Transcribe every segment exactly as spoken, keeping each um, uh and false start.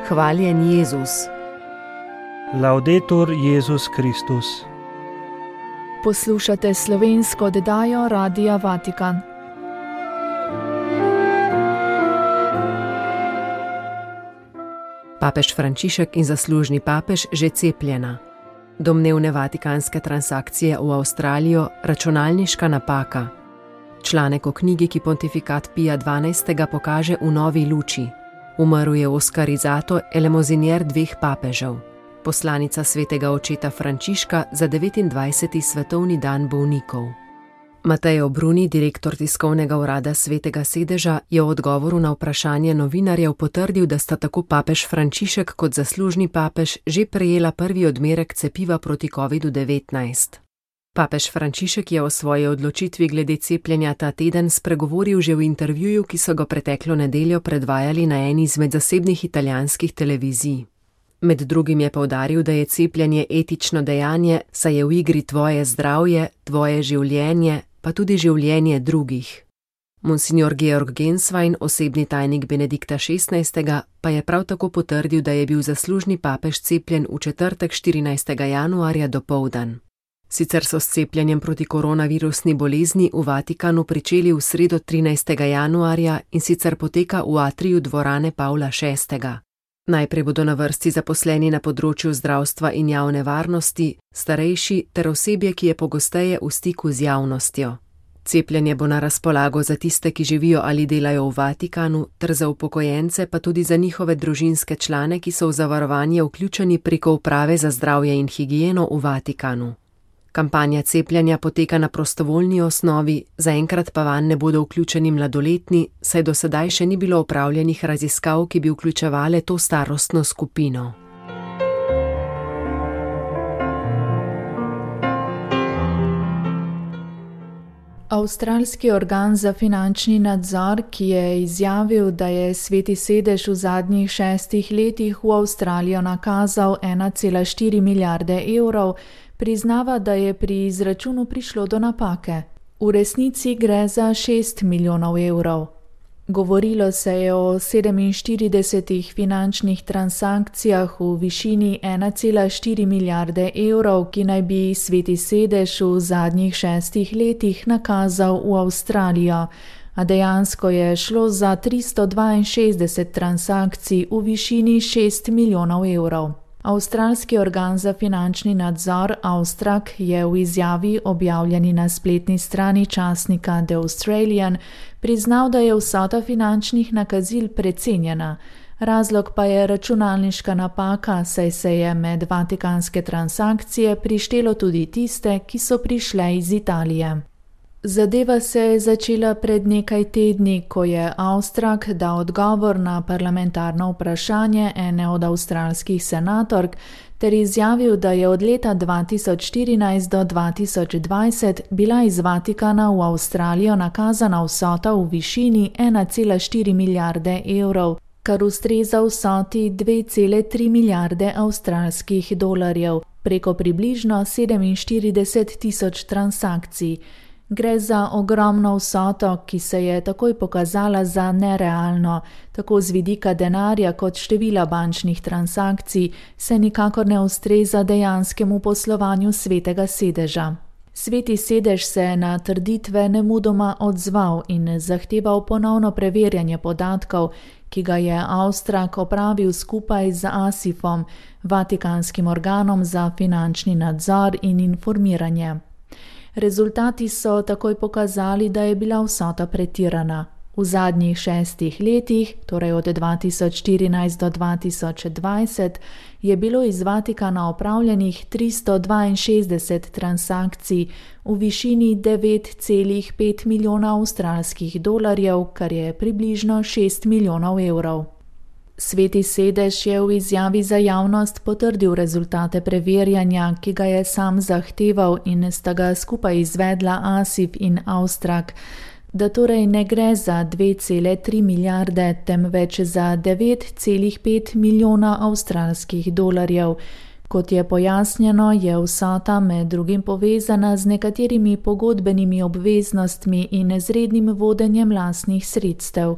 Hvaljen Jezus. Laudetur Jezus Kristus. Poslušate slovensko oddajo Radia Vatikan. Papež Frančišek in zaslužni papež že cepljena. Domnevne vatikanske transakcije v Avstralijo, računalniška napaka. Članek o knjigi, ki pontifikat Pija dvanajstega pokaže v novi luči. Umrl je oskarizato elemozinier dveh papežev. Poslanica svetega očeta Frančiška za devetindvajseti svetovni dan bolnikov. Mateo Bruni, direktor tiskovnega urada Svetega sedeža, je v odgovoru na vprašanje novinarjev potrdil, da sta tako papež Frančišek kot zaslužni papež že prejela prvi odmerek cepiva proti kovidu devetnajst. Papež Frančišek je o svoji odločitvi glede cepljenja ta teden spregovoril že v intervjuju, ki so ga preteklo nedeljo predvajali na eni izmed zasebnih italijanskih televizij. Med drugim je poudaril, da je cepljenje etično dejanje, saj je v igri tvoje zdravje, tvoje življenje, pa tudi življenje drugih. Monsignor Georg Genswein, osebni tajnik Benedikta šestnajstega, pa je prav tako potrdil, da je bil zaslužni papež cepljen v četrtek štirinajstega januarja dopoldan. Sicer so s cepljenjem proti koronavirusni bolezni v Vatikanu pričeli v sredo trinajstega januarja in sicer poteka v atriju dvorane Pavla šestega. Najprej bodo na vrsti zaposleni na področju zdravstva in javne varnosti, starejši ter osebje, ki je pogosteje v stiku z javnostjo. Cepljenje bo na razpolago za tiste, ki živijo ali delajo v Vatikanu, ter za upokojence, pa tudi za njihove družinske člane, ki so v zavarovanje vključeni preko uprave za zdravje in higieno v Vatikanu. Kampanja cepljenja poteka na prostovoljni osnovi, zaenkrat pa vanj ne bodo vključeni mladoletni, saj do sedaj še ni bilo opravljenih raziskav, ki bi vključevale to starostno skupino. Avstralski organ za finančni nadzor, ki je izjavil, da je Sveti sedež v zadnjih šestih letih v Avstralijo nakazal ena cela štiri milijarde evrov, priznava, da je pri izračunu prišlo do napake. V resnici gre za šest milijonov evrov. Govorilo se je o sedeminštiridesetih finančnih transakcijah v višini ena cela štiri milijarde evrov, ki naj bi Sveti sedež v zadnjih šestih letih nakazal v Avstralijo, a dejansko je šlo za tristo dvainšestdeset transakcij v višini šest milijonov evrov. Avstralski organ za finančni nadzor Avstrak je v izjavi, objavljeni na spletni strani časnika The Australian, priznal, da je vsota finančnih nakazil precenjena. Razlog pa je računalniška napaka, saj se je med vatikanske transakcije prištelo tudi tiste, ki so prišle iz Italije. Zadeva se je začela pred nekaj tedni, ko je Avstrak dal odgovor na parlamentarno vprašanje ene od avstralskih senatork ter izjavil, da je od leta dva tisoč štirinajst do dva tisoč dvajset bila iz Vatikana v Avstralijo nakazana vsota v višini ena cela štiri milijarde evrov, kar ustreza vsoti dve cele tri milijarde avstralskih dolarjev, preko približno sedeminštirideset tisoč transakcij. Gre za ogromno vsoto, ki se je takoj pokazala za nerealno, tako z vidika denarja kot števila bančnih transakcij, se nikakor ne ustreza dejanskemu poslovanju Svetega sedeža. Sveti sedež se je na trditve nemudoma odzval in zahteval ponovno preverjanje podatkov, ki ga je Avstrak opravil skupaj z ASIF-om, Vatikanskim organom za finančni nadzor in informiranje. Rezultati so takoj pokazali, da je bila vsota pretirana. V zadnjih šestih letih, torej od dva tisoč štirinajst do dva tisoč dvajset, je bilo iz Vatikana opravljenih tristo dvainšestdeset transakcij v višini devet cela pet milijona avstralskih dolarjev, kar je približno šest milijonov evrov. Sveti sedež je v izjavi za javnost potrdil rezultate preverjanja, ki ga je sam zahteval in sta ga skupaj izvedla ASIF in Avstrak, da torej ne gre za dve cele tri milijarde, temveč za devet cela pet milijona avstralskih dolarjev. Kot je pojasnjeno, je vsota med drugim povezana z nekaterimi pogodbenimi obveznostmi in z rednim vodenjem lastnih sredstev.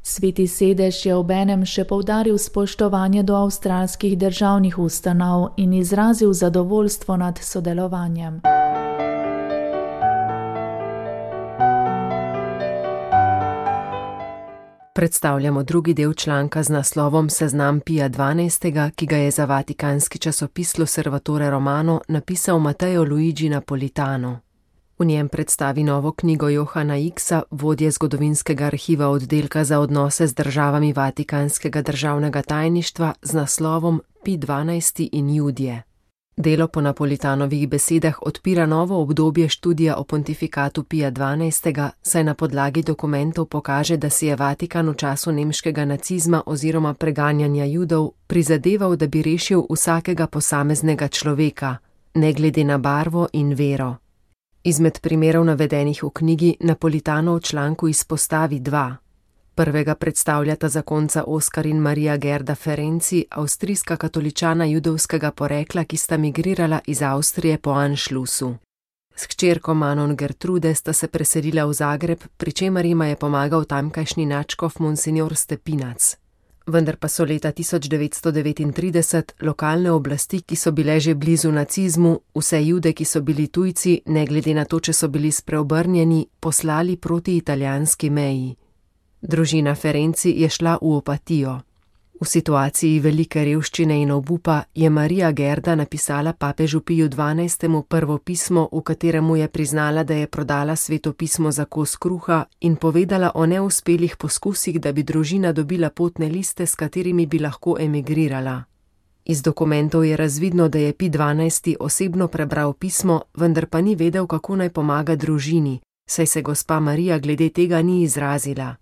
Sveti sedež je obenem še poudaril spoštovanje do avstralskih državnih ustanov in izrazil zadovoljstvo nad sodelovanjem. Predstavljamo drugi del članka z naslovom Seznam Pija dvanajstega, ki ga je za vatikanski časopis L'Osservatore Romano napisal Matteo Luigi Napolitano. V njem predstavi novo knjigo Johana Ixa, vodje zgodovinskega arhiva oddelka za odnose z državami Vatikanskega državnega tajništva z naslovom Pij dvanajsti in Judje. Delo po Napolitanovih besedah odpira novo obdobje študija o pontifikatu Pija dvanajstega, saj na podlagi dokumentov pokaže, da si je Vatikan v času nemškega nacizma oziroma preganjanja Judov prizadeval, da bi rešil vsakega posameznega človeka, ne glede na barvo in vero. Izmed primerov navedenih v knjigi Napolitano v članku izpostavi dva. Prvega predstavljata zakonca Oskar in Marija Gerda Ferenci, avstrijska katoličana judovskega porekla, ki sta migrirala iz Avstrije po Anschlussu. S hčerko Manon Gertrude sta se preselila v Zagreb, pri čemer jima je pomagal tamkajšnji nadškof Monsignor Stepinac. Vendar pa so leta tisoč devetsto devetintrideset lokalne oblasti, ki so bile že blizu nacizmu, vse Jude, ki so bili tujci, ne glede na to, če so bili spreobrnjeni, poslali proti italijanski meji. Družina Ferenci je šla v opatijo. V situaciji velike revščine in obupa je Marija Gerda napisala papežu Piju dvanajstemu prvo pismo, v katerem mu je priznala, da je prodala Sveto pismo za kos kruha in povedala o neuspelih poskusih, da bi družina dobila potne liste, s katerimi bi lahko emigrirala. Iz dokumentov je razvidno, da je Pij dvanajsti osebno prebral pismo, vendar pa ni vedel, kako naj pomaga družini, saj se gospa Marija glede tega ni izrazila.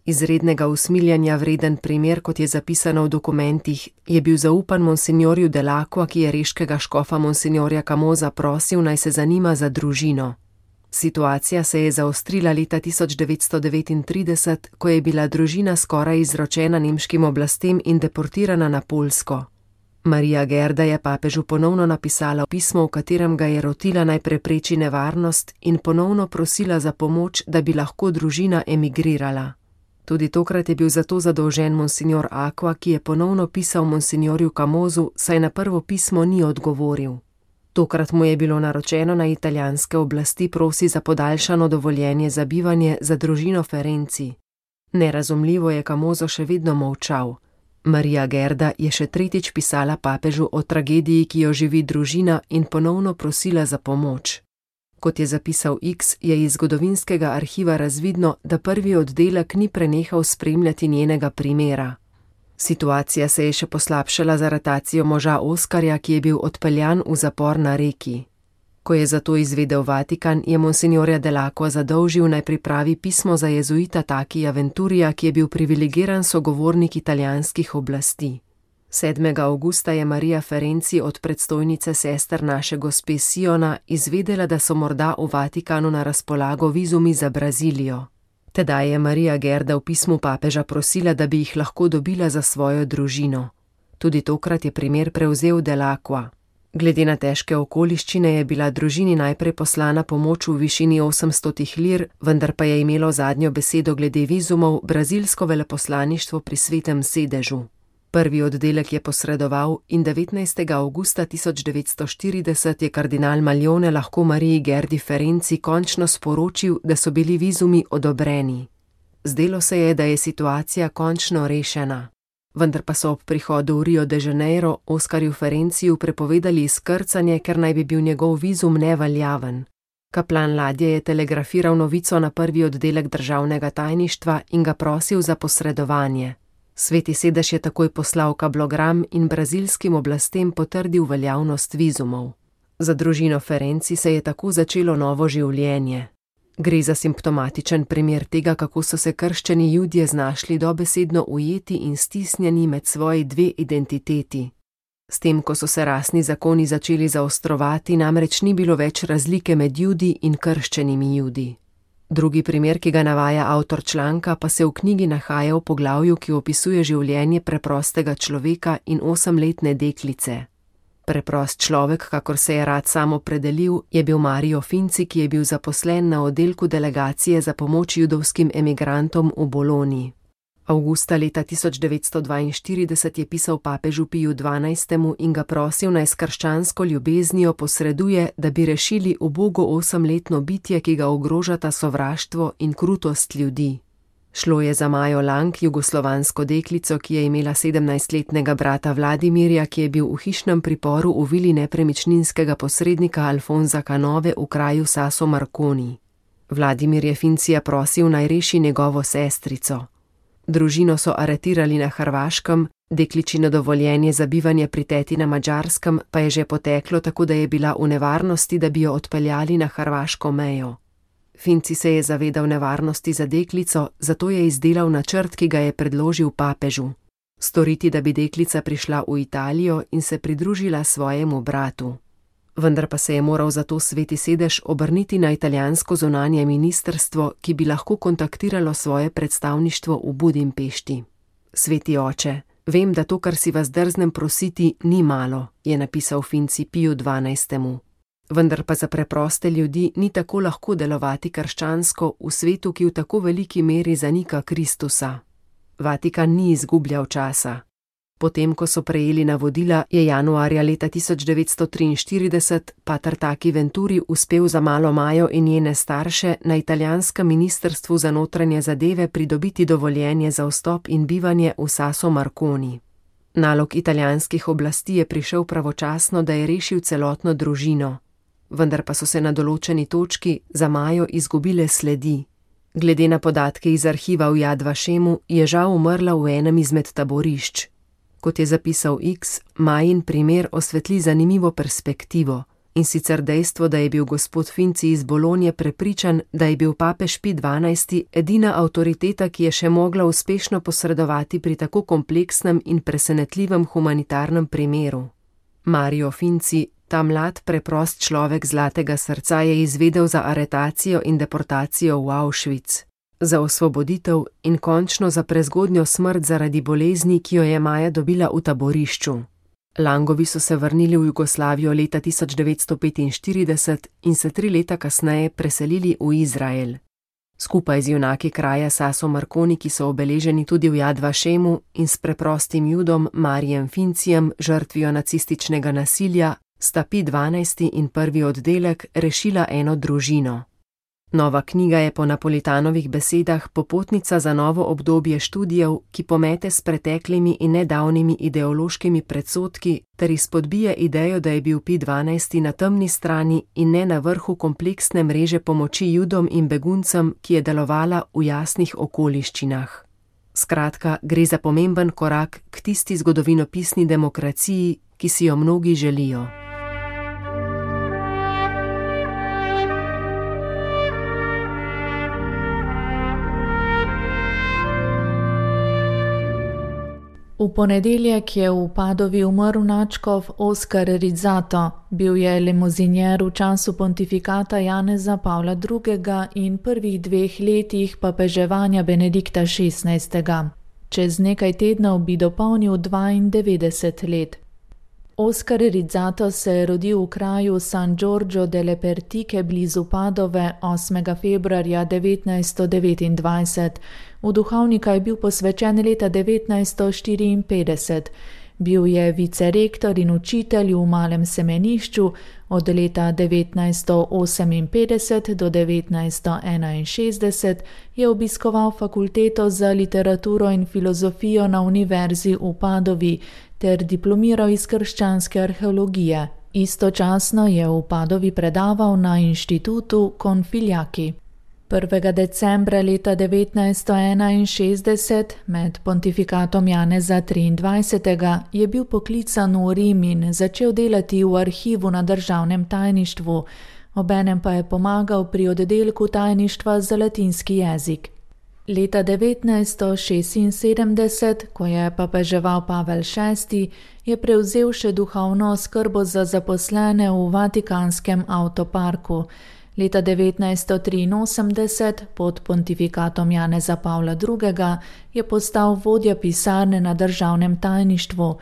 Izrednega usmiljanja vreden primer, kot je zapisano v dokumentih, je bil zaupan monsignorju Delacqua, ki je reškega škofa monsignorja Camosa prosil, naj se zanima za družino. Situacija se je zaostrila leta tisoč devetsto devetintrideset, ko je bila družina skoraj izročena nemškim oblastem in deportirana na Poljsko. Marija Gerda je papežu ponovno napisala pismo, v katerem ga je rotila, naj prepreči nevarnost, in ponovno prosila za pomoč, da bi lahko družina emigrirala. Tudi tokrat je bil zato zadolžen monsignor Aqua, ki je ponovno pisal monsignorju Camosu, saj na prvo pismo ni odgovoril. Tokrat mu je bilo naročeno, na italijanske oblasti prosi za podaljšano dovoljenje za bivanje za družino Ferenci. Nerazumljivo je Camoso še vedno molčal. Marija Gerda je še tretjič pisala papežu o tragediji, ki jo živi družina, in ponovno prosila za pomoč. Kot je zapisal X, je iz zgodovinskega arhiva razvidno, da prvi oddelek ni prenehal spremljati njenega primera. Situacija se je še poslabšala z aretacijo moža Oskarja, ki je bil odpeljan v zapor na Reki. Ko je zato izvedel Vatikan, je monsignorja Delacqua zadolžil, naj pripravi pismo za jezuita Takija Venturija, ki je bil privilegiran sogovornik italijanskih oblasti. sedmega avgusta je Marija Ferenci od predstojnice sester naše gospe Siona izvedela, da so morda v Vatikanu na razpolago vizumi za Brazilijo. Tedaj je Marija Gerda v pismu papeža prosila, da bi jih lahko dobila za svojo družino. Tudi tokrat je primer prevzel Delacqua. Glede na težke okoliščine je bila družini najprej poslana pomoč v višini osemsto lir, vendar pa je imelo zadnjo besedo glede vizumov brazilsko veleposlaništvo pri Svetem sedežu. Prvi oddelek je posredoval in devetnajstega avgusta tisoč devetsto štirideset je kardinal Maljone lahko Mariji Gerdi Ferenci končno sporočil, da so bili vizumi odobreni. Zdelo se je, da je situacija končno rešena. Vendar pa so ob prihodu v Rio de Janeiro Oskarju Ferenciju prepovedali izkrcanje, ker naj bi bil njegov vizum neveljaven. Kaplan ladje je telegrafiral novico na prvi oddelek državnega tajništva in ga prosil za posredovanje. Sveti sedež je takoj poslal kablogram in brazilskim oblastem potrdil veljavnost vizumov. Za družino Ferenci se je tako začelo novo življenje. Gre za simptomatičen primer tega, kako so se krščani Judje znašli dobesedno ujeti in stisnjeni med svoji dve identiteti. S tem, ko so se rasni zakoni začeli zaostrovati, namreč ni bilo več razlike med Judi in krščenimi Judi. Drugi primer, ki ga navaja avtor članka, pa se v knjigi nahaja v poglavju, ki opisuje življenje preprostega človeka in osemletne deklice. Preprost človek, kakor se je rad sam opredelil, je bil Mario Finci, ki je bil zaposlen na oddelku delegacije za pomoč judovskim emigrantom v Bologni. Avgusta leta tisoč devetsto dvainštirideset je pisal papežu Piju dvanajstemu in ga prosil, naj s krščansko ljubeznijo posreduje, da bi rešili ubogo osemletno bitje, ki ga ogrožata sovraštvo in krutost ljudi. Šlo je za Majo Lang, jugoslovansko deklico, ki je imela sedemnajstletnega brata Vladimirja, ki je bil v hišnem priporu v vili nepremičninskega posrednika Alfonza Canove v kraju Sasso Marconi. Vladimir je Fincija prosil, naj reši njegovo sestrico. Družino so aretirali na Hrvaškem, dekličino dovoljenje za bivanje pri teti na Madžarskem pa je že poteklo, tako da je bila v nevarnosti, da bi jo odpeljali na hrvaško mejo. Finci se je zavedal nevarnosti za deklico, zato je izdelal načrt, ki ga je predložil papežu. Storiti, da bi deklica prišla v Italijo in se pridružila svojemu bratu. Vendar pa se je moral zato Sveti sedež obrniti na italijansko zunanje ministrstvo, ki bi lahko kontaktiralo svoje predstavništvo v Budimpešti. Sveti oče, vem, da to, kar si vas drznem prositi, ni malo, je napisal Finci Piju dvanajstemu. Vendar pa za preproste ljudi ni tako lahko delovati krščansko v svetu, ki v tako veliki meri zanika Kristusa. Vatikan ni izgubljal časa. Potem, ko so prejeli navodila, je januarja leta tisoč devetsto triinštirideset pater Taki Venturi uspel za malo Majo in njene starše na italijanskem ministrstvu za notranje zadeve pridobiti dovoljenje za vstop in bivanje v Sasso Marconi. Nalog italijanskih oblasti je prišel pravočasno, da je rešil celotno družino. Vendar pa so se na določeni točki za Majo izgubile sledi. Glede na podatke iz arhiva v Yad Vašemu je žal umrla v enem izmed taborišč. Kot je zapisal X, Majin primer osvetli zanimivo perspektivo, in sicer dejstvo, da je bil gospod Finci iz Bolonje prepričan, da je bil papež Pij dvanajsti edina avtoriteta, ki je še mogla uspešno posredovati pri tako kompleksnem in presenetljivem humanitarnem primeru. Mario Finci, ta mlad preprost človek zlatega srca, je izvedel za aretacijo in deportacijo v Auschwitz, za osvoboditev in končno za prezgodnjo smrt zaradi bolezni, ki jo je Maja dobila v taborišču. Langovi so se vrnili v Jugoslavijo leta tisoč devetsto petinštirideset in se tri leta kasneje preselili v Izrael. Skupaj z junaki kraja Sasso Marconi, ki so obeleženi tudi v Yad Vašemu, in s preprostim judom Marijem Fincijem, žrtvijo nacističnega nasilja, sta Pij dvanajsti in prvi oddelek rešila eno družino. Nova knjiga je po Napolitanovih besedah popotnica za novo obdobje študijev, ki pomete s preteklimi in nedavnimi ideološkimi predsodki ter izpodbije idejo, da je bil Pij dvanajsti na temni strani in ne na vrhu kompleksne mreže pomoči judom in beguncem, ki je delovala v jasnih okoliščinah. Skratka, gre za pomemben korak k tisti zgodovinopisni demokraciji, ki si jo mnogi želijo. V ponedeljek je v Padovi umrl nadškof Oskar Rizzato. Bil je limuzinjer v času pontifikata Janeza Pavla drugega in prvih dveh letih papeževanja Benedikta šestnajstega. Čez nekaj tednov bi dopolnil dvaindevetdeset let. Oskar Rizzato se je rodil v kraju San Giorgio delle Pertiche blizu Padove osmega februarja devetnajststo devetindvajset. V duhovnika je bil posvečen leta devetnajststo štiriinpetdeset. Bil je vicerektor in učitelj v malem semenišču, od leta devetnajststo oseminpetdeset do devetnajststo enainšestdeset je obiskoval fakulteto za literaturo in filozofijo na univerzi v Padovi ter diplomiral iz krščanske arheologije. Istočasno je v Padovi predaval na inštitutu Configliaki. prvega decembra leta devetnajststo enainšestdeset, med pontifikatom Janeza triindvajsetega, je bil poklican v Rim in začel delati v arhivu na državnem tajništvu, obenem pa je pomagal pri oddelku tajništva za latinski jezik. Leta devetnajststo šestinsedemdeset, ko je papeževal Pavel šesti, je prevzel še duhovno skrbo za zaposlene v Vatikanskem avtoparku. Leta devetnajststo triinosemdeset, pod pontifikatom Janeza Pavla drugega, je postal vodja pisarne na državnem tajništvu.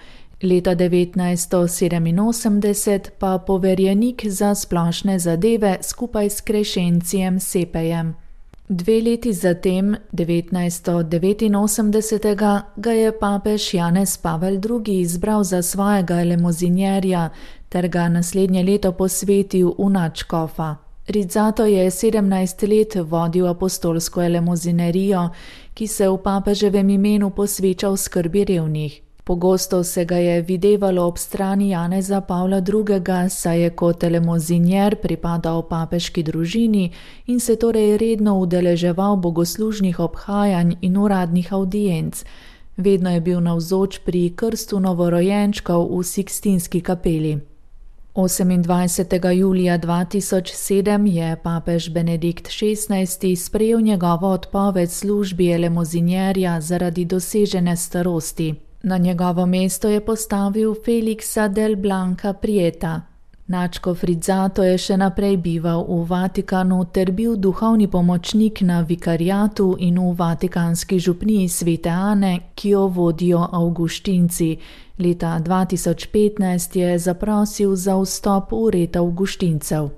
Leta devetnajststo sedeminosemdeset pa poverjenik za splošne zadeve skupaj s Krešencijem Sepejem. Dve leti zatem, devetnajststo devetinosemdeset, ga je papež Janez Pavel drugi izbral za svojega elemozinjerja ter ga naslednje leto posvetil v nadškofa. Rizzato je sedemnajst let vodil apostolsko elemozinerijo, ki se v papeževem imenu posveča v skrbi revnih. Pogosto se ga je videvalo ob strani Janeza Pavla drugega, saj je kot elemozinjer pripadal papeški družini in se torej redno udeleževal bogoslužnih obhajanj in uradnih avdienc. Vedno je bil navzoč pri krstu novorojenčkov v Sikstinski kapeli. osemindvajsetega julija dva tisoč sedem je papež Benedikt šestnajsti sprejel njegovo odpoved službi elemozinjerja zaradi dosežene starosti. Na njegovo mesto je postavil Felixa del Blanca Prieta. Nadškof Rizzato je še naprej bival v Vatikanu ter bil duhovni pomočnik na vikariatu in v vatikanski župniji Svete Ane, ki jo vodijo avguštinci. Leta dva tisoč petnajst je zaprosil za vstop v red avguštincev.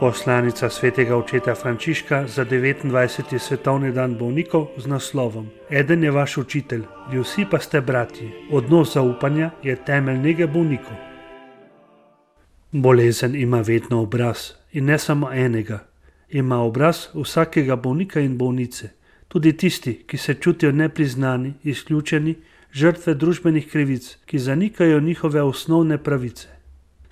Poslanica svetega očeta Frančiška za devetindvajseti svetovni dan bolnikov z naslovom Eden je vaš učitelj, vi vsi pa ste bratji. Odnos zaupanja je temelj nege bolnikov. Bolezen ima vedno obraz in ne samo enega. Ima obraz vsakega bolnika in bolnice, tudi tisti, ki se čutijo nepriznani, izključeni, žrtve družbenih krivic, ki zanikajo njihove osnovne pravice.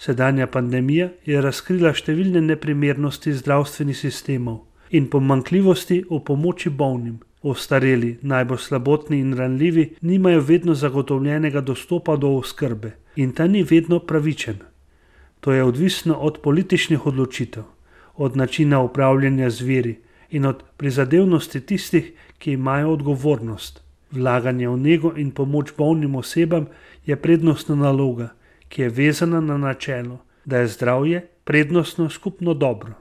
Sedanja pandemija je razkrila številne neprimernosti zdravstvenih sistemov in pomanjkljivosti v pomoči bolnim. Ostareli, najbolj slabotni in ranljivi nimajo vedno zagotovljenega dostopa do oskrbe in ta ni vedno pravičen. To je odvisno od političnih odločitev, od načina upravljanja z viri in od prizadevnosti tistih, ki imajo odgovornost. Vlaganje v nego in pomoč bolnim osebam je prednostna naloga, ki je vezana na načelo, da je zdravje prednostno skupno dobro.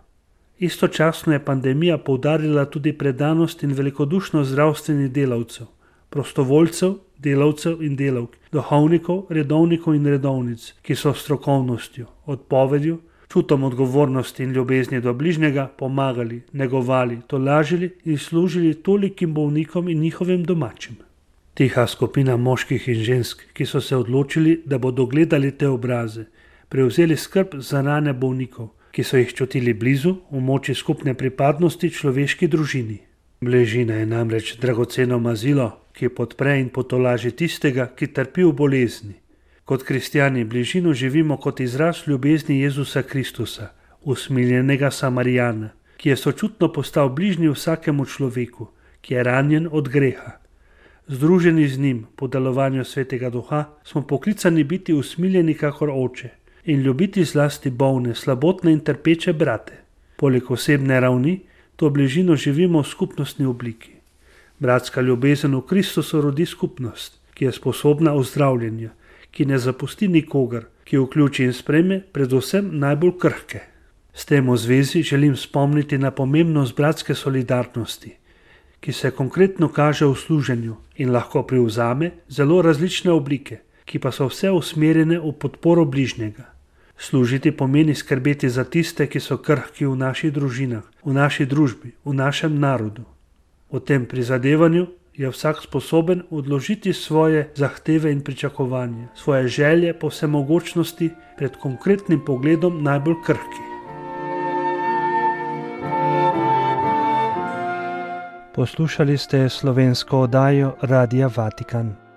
Istočasno je pandemija poudarila tudi predanost in velikodušnost zdravstvenih delavcev, prostovoljcev, delavcev in delavk, duhovnikov, redovnikov in redovnic, ki so strokovnostjo, odpovedjo, čutom odgovornosti in ljubezni do bližnjega pomagali, negovali, tolažili in služili tolikim bolnikom in njihovim domačim. Tiha skupina moških in žensk, ki so se odločili, da bodo gledali te obraze, prevzeli skrb za rane bolnikov, ki so jih čutili blizu v moči skupne pripadnosti človeški družini. Bližina je namreč dragoceno mazilo, ki podpre in potolaži tistega, ki trpi v bolezni. Kot kristjani bližino živimo kot izraz ljubezni Jezusa Kristusa, usmiljenega Samarijana, ki je sočutno postal bližnji vsakemu človeku, ki je ranjen od greha. Združeni z njim po delovanju Svetega Duha smo poklicani biti usmiljeni kakor oče in ljubiti zlasti bolne, slabotne in trpeče brate. Poleg osebne ravni to bližino živimo v skupnostni obliki. Bratska ljubezen v Kristusu rodi skupnost, ki je sposobna ozdravljenja, ki ne zapusti nikogar, ki vključi in sprejme predvsem najbolj krhke. S tem v zvezi želim spomniti na pomembnost bratske solidarnosti, ki se konkretno kaže v služenju in lahko privzame zelo različne oblike, ki pa so vse usmerjene v podporo bližnjega. Služiti pomeni skrbeti za tiste, ki so krhki v naših družinah, v naši družbi, v našem narodu. V tem prizadevanju je vsak sposoben odložiti svoje zahteve in pričakovanje, svoje želje po vsemogočnosti pred konkretnim pogledom najbolj krhki. Poslušali ste slovensko oddajo Radia Vatikan.